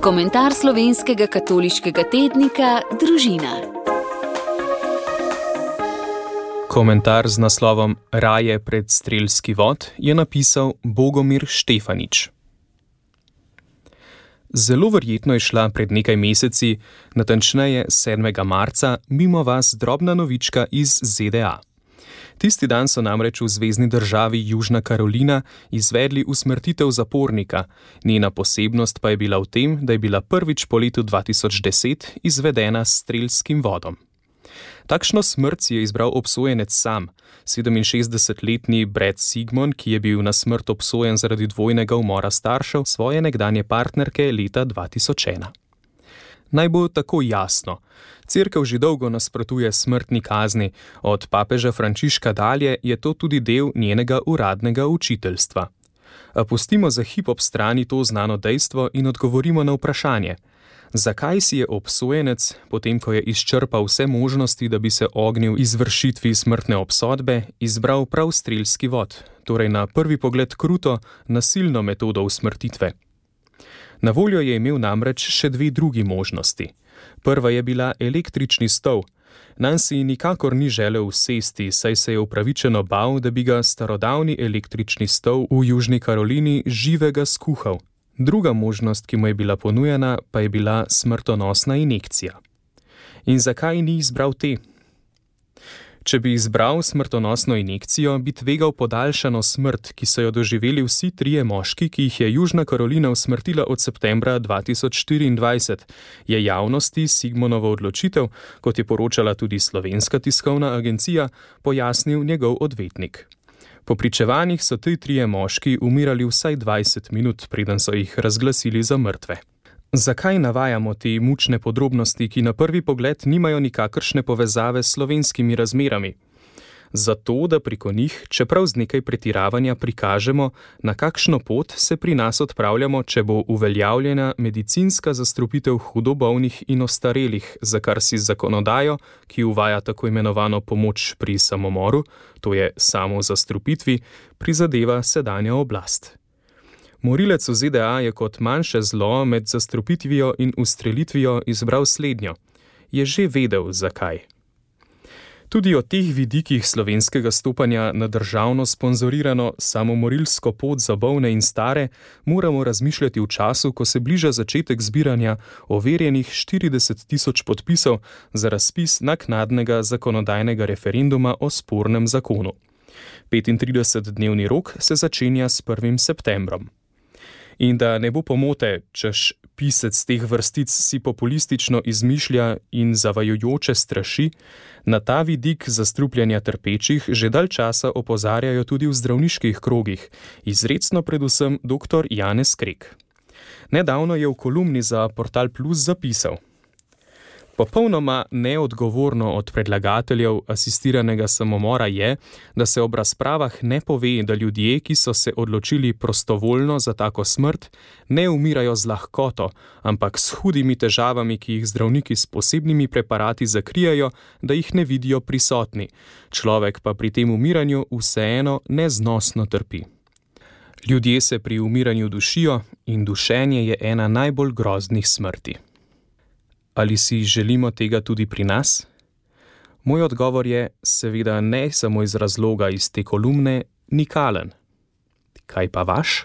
Komentar slovenskega katoliškega tednika Družina. Komentar z naslovom Raje pred strelski vod je napisal Bogomir Štefanič. Zelo verjetno je šla pred nekaj meseci, natančneje 7. marca, mimo vas drobna novička iz ZDA. Tisti dan so namreč v zvezni državi Južna Karolina izvedli usmrtitev zapornika, njena posebnost pa je bila v tem, da je bila prvič po letu 2010 izvedena s strelskim vodom. Takšno smrt si je izbral obsojenec sam, 67-letni Brad Sigmon, ki je bil na smrt obsojen zaradi dvojnega umora staršev svoje nekdanje partnerke leta 2001. Naj bo tako jasno. Cerkev že dolgo nasprotuje smrtni kazni, od papeža Frančiška dalje je to tudi del njenega uradnega učiteljstva. A pustimo za hip ob strani to znano dejstvo in odgovorimo na vprašanje. Zakaj si je obsojenec, potem ko je izčrpal vse možnosti, da bi se ognil izvršitvi smrtne obsodbe, izbral prav strelski vod, torej na prvi pogled kruto, nasilno metodo usmrtitve? Na voljo je imel namreč še dve drugi možnosti. Prva je bila električni stol. Nanj si nikakor ni želel usesti, saj se je upravičeno bal, da bi ga starodavni električni stol v Južni Karolini živega skuhal. Druga možnost, ki mu je bila ponujena, pa je bila smrtonosna injekcija. In zakaj ni izbral te? Če bi izbral smrtonosno injekcijo, bi tvegal podaljšano smrt, ki so jo doživeli vsi trije moški, ki jih je Južna Karolina usmrtila od septembra 2024, je javnosti Sigmonovo odločitev, kot je poročala tudi Slovenska tiskovna agencija, pojasnil njegov odvetnik. Po pričevanjih so ti trije moški umirali vsaj 20 minut, preden so jih razglasili za mrtve. Zakaj navajamo te mučne podrobnosti, ki na prvi pogled nimajo nikakršne povezave s slovenskimi razmerami? Zato, da preko njih, čeprav z nekaj pretiravanja, prikažemo, na kakšno pot se pri nas odpravljamo, če bo uveljavljena medicinska zastrupitev hudo bolnih in ostarelih, za kar si zakonodajo, ki uvaja tako imenovano pomoč pri samomoru, to je samozastrupitvi, prizadeva sedanja oblast. Morilec v ZDA je kot manjše zlo med zastrupitvijo in ustrelitvijo izbral slednjo. Je že vedel, zakaj. Tudi o teh vidikih slovenskega stopanja na državno sponzorirano samomorilsko pot za bolne in stare moramo razmišljati v času, ko se bliža začetek zbiranja overjenih 40 tisoč podpisov za razpis naknadnega zakonodajnega referenduma o spornem zakonu. 35-dnevni rok se začenja s 1. septembrom. In da ne bo pomote, češ pisec teh vrstic si populistično izmišlja in zavajajoče straši, na ta vidik zastrupljanja trpečih že dalj časa opozarjajo tudi v zdravniških krogih, izrecno predvsem dr. Janez Krek. Nedavno je v kolumni za Portal Plus zapisal: Popolnoma neodgovorno od predlagateljev asistiranega samomora je, da se ob razpravah ne pove, da ljudje, ki so se odločili prostovoljno za tako smrt, ne umirajo z lahkoto, ampak s hudimi težavami, ki jih zdravniki s posebnimi preparati zakrijajo, da jih ne vidijo prisotni. Človek pa pri tem umiranju vseeno neznosno trpi. Ljudje se pri umiranju dušijo in dušenje je ena najbolj groznih smrti. Ali si želimo tega tudi pri nas? Moj odgovor je seveda ne samo iz razloga iz te kolumne, nikalen. Kaj pa vaš?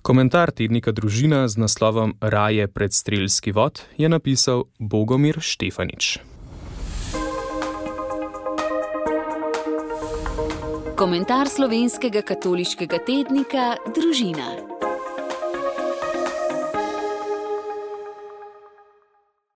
Komentar tednika Družina z naslovom Raje pred strelski vod je napisal Bogomir Štefanič. Komentar slovenskega katoliškega tednika Družina.